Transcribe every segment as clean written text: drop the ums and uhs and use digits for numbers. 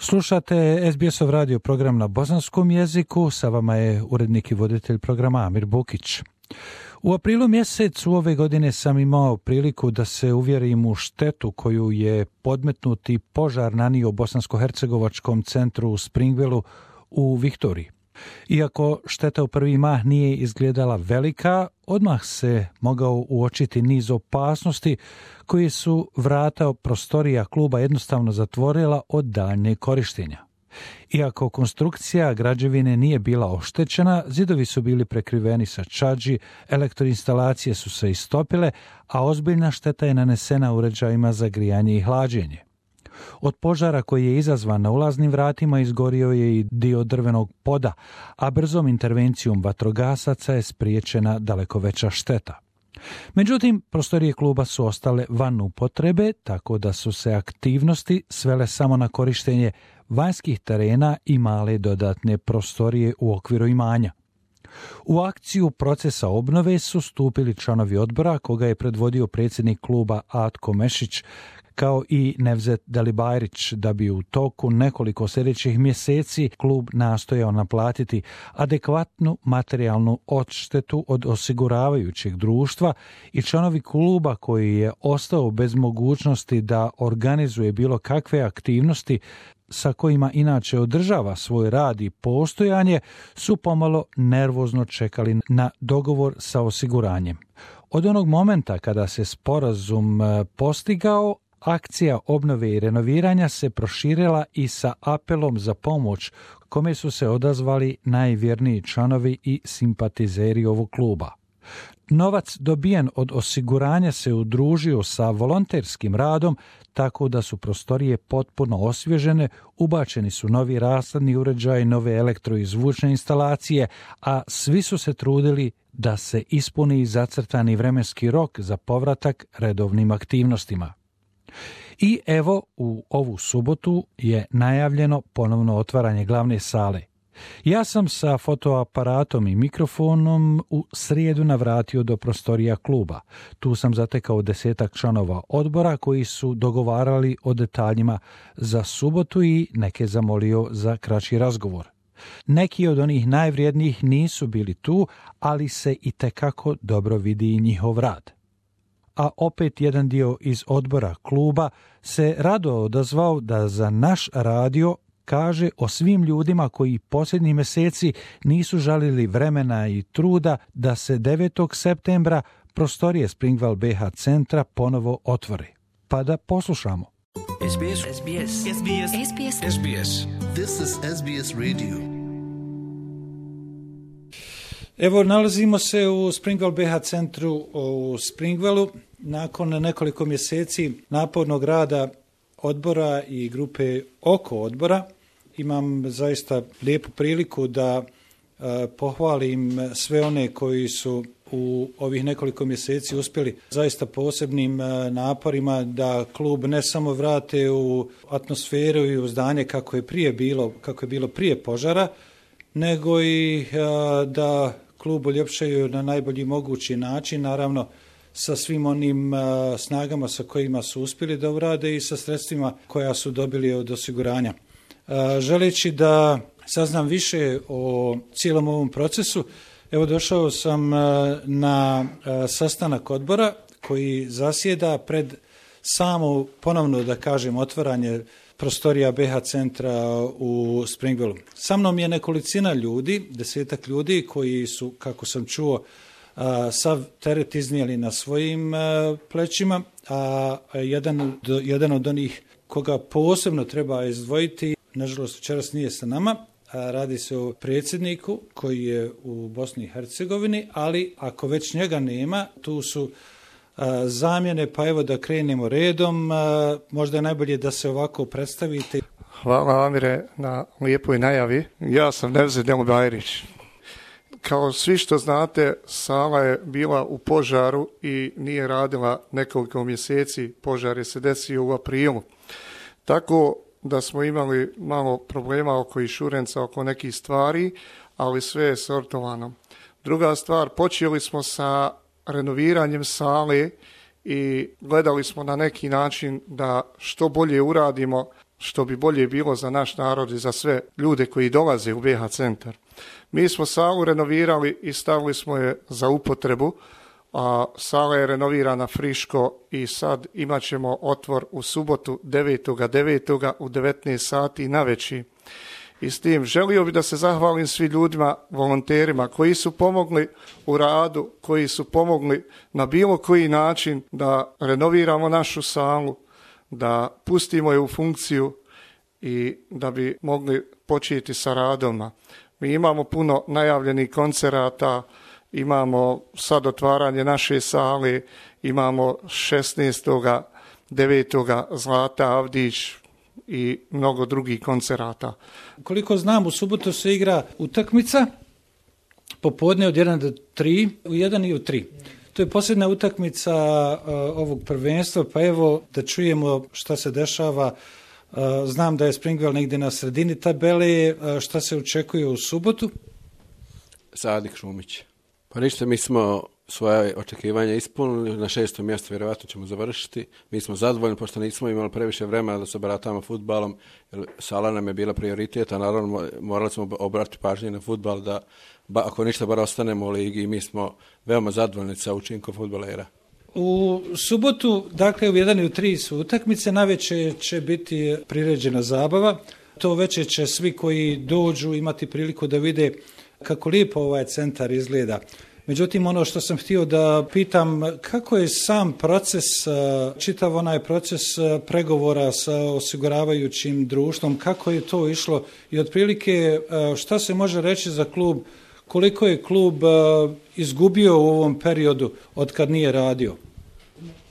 Slušate SBS-ov radio program na bosanskom jeziku, sa vama je urednik i voditelj programa Amir Bukić. U aprilu mjesecu ove godine sam imao priliku da se uvjerim u štetu koju je podmetnuti požar nanio bosansko-hercegovačkom centru u Springvilleu u Viktoriji. Iako šteta u prvi mah nije izgledala velika, odmah se mogao uočiti niz opasnosti koji su vrata prostorija kluba jednostavno zatvorila od daljnjeg korištenja. Iako konstrukcija građevine nije bila oštećena, zidovi su bili prekriveni sa čadži, elektroinstalacije su se istopile, a ozbiljna šteta je nanesena uređajima za grijanje i hlađenje. Od požara koji je izazvan na ulaznim vratima izgorio je i dio drvenog poda, a brzom intervencijom vatrogasaca je spriječena daleko veća šteta. Međutim, prostorije kluba su ostale van upotrebe, tako da su se aktivnosti svele samo na korištenje vanjskih terena i male dodatne prostorije u okviru imanja. U akciju procesa obnove su stupili članovi odbora, koga je predvodio predsjednik kluba Atko Mešić, kao i Nevzet Dalibajrić, da bi u toku nekoliko sljedećih mjeseci klub nastojao naplatiti adekvatnu materijalnu odštetu od osiguravajućeg društva i članovi kluba koji je ostao bez mogućnosti da organizuje bilo kakve aktivnosti sa kojima inače održava svoj rad i postojanje, su pomalo nervozno čekali na dogovor sa osiguranjem. Od onog momenta kada se sporazum postigao, akcija obnove i renoviranja se proširila i sa apelom za pomoć, kome su se odazvali najvjerniji članovi i simpatizeri ovog kluba. Novac dobijen od osiguranja se udružio sa volonterskim radom, tako da su prostorije potpuno osvježene, ubačeni su novi rashladni uređaji, nove elektro i zvučne instalacije, a svi su se trudili da se ispuni zacrtani vremenski rok za povratak redovnim aktivnostima. I evo, u ovu subotu je najavljeno ponovno otvaranje glavne sale. Ja sam sa fotoaparatom i mikrofonom u srijedu navratio do prostorija kluba. Tu sam zatekao 10 članova odbora koji su dogovarali o detaljima za subotu i neke zamolio za kraći razgovor. Neki od onih najvrijednijih nisu bili tu, ali se itekako dobro vidi i njihov rad. A opet jedan dio iz odbora kluba se rado odazvao da za naš radio kaže o svim ljudima koji posljednjih mjeseci nisu žalili vremena i truda da se 9. septembra prostorije Springville BH centra ponovo otvore. Pa da poslušamo. SBS. SBS. SBS. SBS. SBS. This is SBS Radio. Evo, nalazimo se u Springville BH centru u Springvilleu. Nakon nekoliko mjeseci napornog rada odbora i grupe oko odbora, imam zaista lijepu priliku da pohvalim sve one koji su u ovih nekoliko mjeseci uspjeli zaista posebnim naporima da klub ne samo vrate u atmosferu i u zdanje kako je bilo prije požara, nego i da klub uljepšaju na najbolji mogući način, naravno sa svim onim snagama sa kojima su uspjeli da urade i sa sredstvima koja su dobili od osiguranja. Želeći da saznam više o cijelom ovom procesu, evo došao sam na sastanak odbora koji zasjeda pred samo ponovno, da kažem, otvaranje prostorija BH centra u Springvilleu. Sa mnom je nekolicina ljudi, 10 ljudi koji su, kako sam čuo, sav teret iznijeli na svojim plećima, a jedan od onih koga posebno treba izdvojiti, nažalost večeras nije sa nama, radi se o predsjedniku koji je u Bosni i Hercegovini, ali ako već njega nema, tu su zamjene, pa evo da krenemo redom, možda je najbolje da se ovako predstavite. Hvala Amire na lijepoj najavi. Ja sam Nevzet Dalibajrić. Kao svi što znate, sala je bila u požaru i nije radila nekoliko mjeseci. Požar je se desio u aprilu. Tako da smo imali malo problema oko inšurenca, oko nekih stvari, ali sve je sortovano. Druga stvar, počeli smo sa renoviranjem sale i gledali smo na neki način da što bolje uradimo što bi bolje bilo za naš narod i za sve ljude koji dolaze u BH centar. Mi smo salu renovirali i stavili smo je za upotrebu, a sala je renovirana friško i sad imat ćemo otvor u subotu 9.9. u 19 sati navečer. I s tim želio bi da se zahvalim svim ljudima, volonterima koji su pomogli u radu, koji su pomogli na bilo koji način da renoviramo našu salu, da pustimo je u funkciju i da bi mogli početi sa radom. Mi imamo puno najavljenih koncerata, imamo sad otvaranje naše sale, imamo 16.9. Zlata Avdić i mnogo drugih koncerata. Koliko znam, u subotu se igra utakmica, popodne od 1 do 3, u 1 i u 3. To je posljedna utakmica ovog prvenstva, pa evo da čujemo šta se dešava. Znam da je Springwell negdje na sredini tabele, šta se očekuje u subotu? Sadik Šumić. Pa ništa, mi smo svoje očekivanja ispunili, na 6. mjestu vjerovatno ćemo završiti. Mi smo zadovoljni pošto nismo imali previše vremena da se baratamo fudbalom, jer sala nam je bila prioritet, a naravno morali smo obratiti pažnje na fudbal da ako ništa bar ostanemo u ligi i mi smo veoma zadovoljni sa učinkom fudbalera. U subotu, dakle u 1 i u 3 su utakmice, navečer će biti priređena zabava. To večer će svi koji dođu imati priliku da vide kako lijepo ovaj centar izgleda. Međutim, ono što sam htio da pitam, kako je sam proces, čitav onaj proces pregovora sa osiguravajućim društvom, kako je to išlo i otprilike šta se može reći za klub, koliko je klub izgubio u ovom periodu od kad nije radio?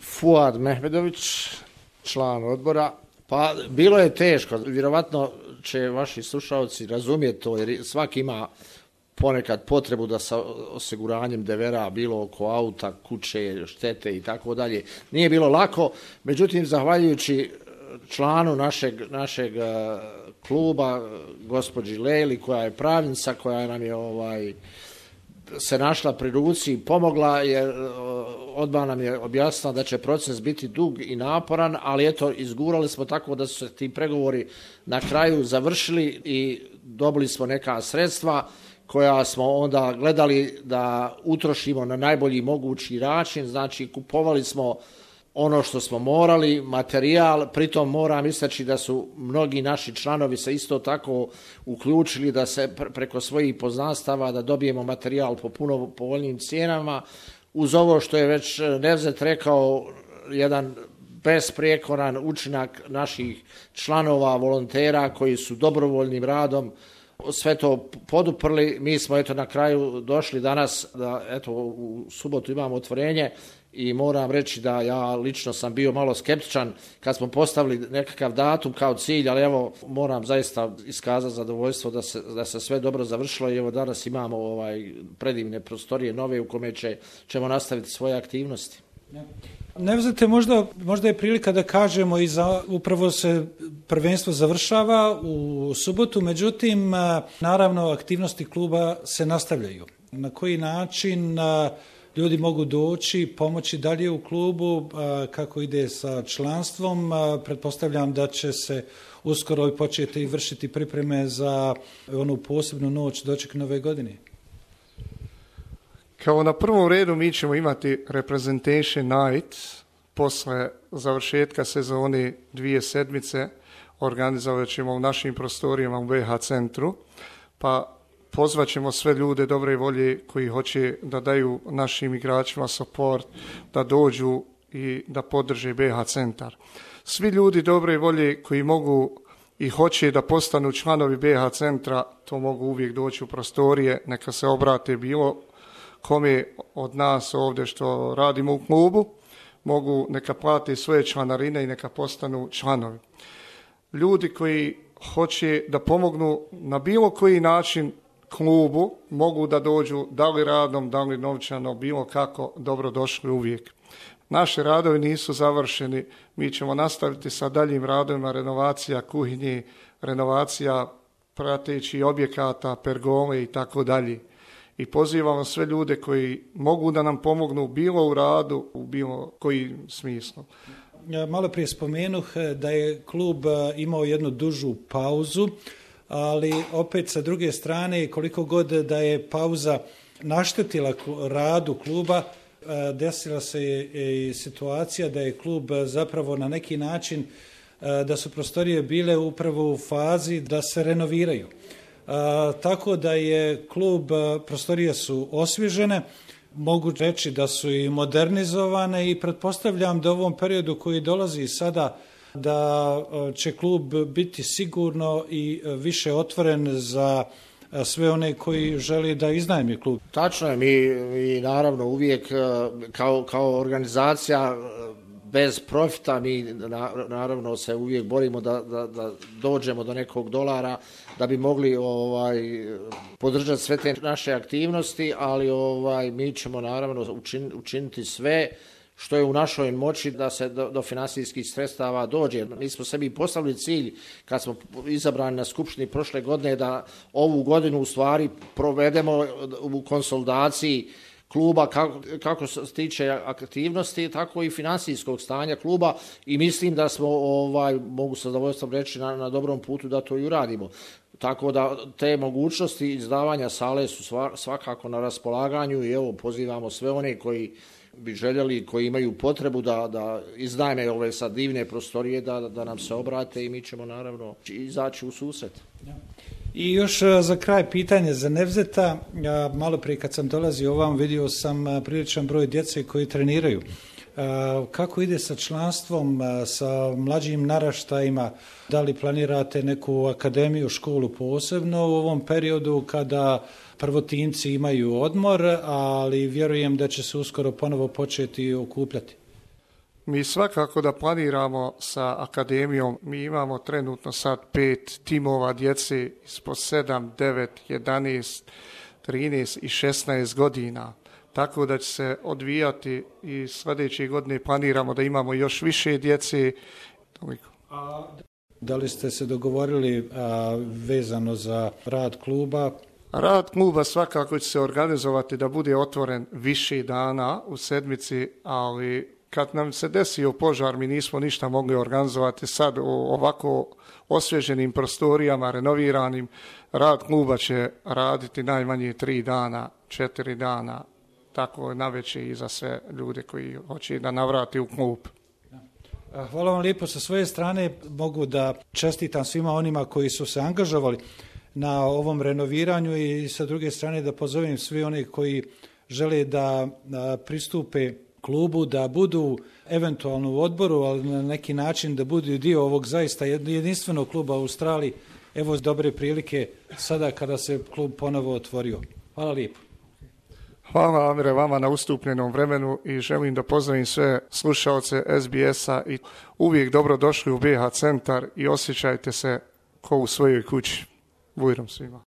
Fuad Mehmedović, član odbora. Pa bilo je teško, vjerovatno će vaši slušalci razumjeti to, jer svaki ima ponekad potrebu da sa osiguranjem devera, bilo oko auta, kuće, štete i tako dalje. Nije bilo lako, međutim, zahvaljujući članu našeg kluba, gospođi Lejli, koja je pravnica, koja nam je se našla pri ruci i pomogla, jer odmah nam je objasnila da će proces biti dug i naporan, ali eto, izgurali smo tako da su se ti pregovori na kraju završili i dobili smo neka sredstva koja smo onda gledali da utrošimo na najbolji mogući način, znači kupovali smo ono što smo morali, materijal, pritom moram istaći da su mnogi naši članovi se isto tako uključili da se preko svojih poznanstava da dobijemo materijal po puno povoljnim cijenama, uz ovo što je već Nevzet rekao, jedan besprijekoran učinak naših članova, volontera koji su dobrovoljnim radom sve to poduprli. Mi smo eto na kraju došli danas da eto u subotu imamo otvorenje i moram reći da ja lično sam bio malo skeptičan kad smo postavili nekakav datum kao cilj, ali evo moram zaista iskazati zadovoljstvo da se sve dobro završilo i evo danas imamo predivne prostorije nove u kome ćemo nastaviti svoje aktivnosti. Nevzete, možda je prilika da kažemo i upravo se prvenstvo završava u subotu, međutim, naravno, aktivnosti kluba se nastavljaju. Na koji način ljudi mogu doći, pomoći dalje u klubu, kako ide sa članstvom? Pretpostavljam da će se uskoro i početi i vršiti pripreme za onu posebnu noć doček nove godine. Kao na prvom redu mi ćemo imati Representation Night posle završetka sezone 2 sedmice, organizovat ćemo u našim prostorijama u BH centru, pa pozvat ćemo sve ljude dobre volje koji hoće da daju našim igračima support, da dođu i da podrže BH centar. Svi ljudi dobre volje koji mogu i hoće da postanu članovi BH centra, to mogu uvijek doći u prostorije, neka se obrate bilo kome od nas ovdje što radimo u klubu, mogu neka plati svoje članarine i neka postanu članovi. Ljudi koji hoće da pomognu na bilo koji način klubu, mogu da dođu da li radom, da li novčano, bilo kako, dobro došli uvijek. Naši radovi nisu završeni, mi ćemo nastaviti sa daljim radovima, renovacija kuhinje, renovacija pratećih objekata, pergole i tako dalje. I pozivamo sve ljude koji mogu da nam pomognu bilo u radu, u bilo koji smislu. malo prije spomenuh da je klub imao jednu dužu pauzu, ali opet sa druge strane koliko god da je pauza naštetila radu kluba, desila se i situacija da je klub zapravo na neki način, da su prostorije bile upravo u fazi da se renoviraju. Tako da je klub, prostorije su osvježene, mogu reći da su i modernizovane i pretpostavljam da u ovom periodu koji dolazi sada da će klub biti sigurno i više otvoren za sve one koji želi da iznajmi klub. Tačno je, mi naravno uvijek kao organizacija bez profita, mi naravno se uvijek borimo da dođemo do nekog dolara da bi mogli podržati sve te naše aktivnosti, ali mi ćemo naravno učiniti sve što je u našoj moći da se do financijskih sredstava dođe. Mi smo sebi postavili cilj kad smo izabrani na skupštini prošle godine da ovu godinu u stvari provedemo u konsolidaciji kluba kako se tiče aktivnosti, tako i financijskog stanja kluba i mislim da smo, mogu sa zadovoljstvom reći, na dobrom putu da to i uradimo. Tako da te mogućnosti izdavanja sale su svakako na raspolaganju i evo pozivamo sve one koji bi željeli, koji imaju potrebu da iznajme ove sad divne prostorije, da nam se obrate i mi ćemo naravno izaći u susret. I još za kraj pitanje za Nevzeta. Malo prije kad sam dolazio ovam vidio sam priličan broj djece koji treniraju. Kako ide sa članstvom, sa mlađim naraštajima? Da li planirate neku akademiju, školu posebno u ovom periodu kada prvotimci imaju odmor, ali vjerujem da će se uskoro ponovo početi okupljati? Mi svakako da planiramo sa akademijom. Mi imamo trenutno sad 5 timova djece ispod 7, 9, 11, 13 i 16 godina. Tako da će se odvijati i sljedeće godine planiramo da imamo još više djece. Toliko. Da li ste se dogovorili vezano za rad kluba? Rad kluba svakako će se organizovati da bude otvoren više dana u sedmici, ali kad nam se desio požar, mi nismo ništa mogli organizovati. Sad u ovako osvježenim prostorijama, renoviranim, rad kluba će raditi najmanje 3 dana, 4 dana, tako navečer i za sve ljude koji hoće da navrati u klub. Hvala vam lijepo. Sa svoje strane mogu da čestitam svima onima koji su se angažovali na ovom renoviranju i sa druge strane da pozovem svi one koji žele da pristupe klubu, da budu eventualno u odboru, ali na neki način da budu dio ovog zaista jedinstvenog kluba u Australiji. Evo dobre prilike sada kada se klub ponovo otvorio. Hvala lijepo. Hvala Amire vama na ustupljenom vremenu i želim da pozdravim sve slušaoce SBS-a i uvijek dobro došli u BH centar i osjećajte se ko u svojoj kući. Bujrom svima.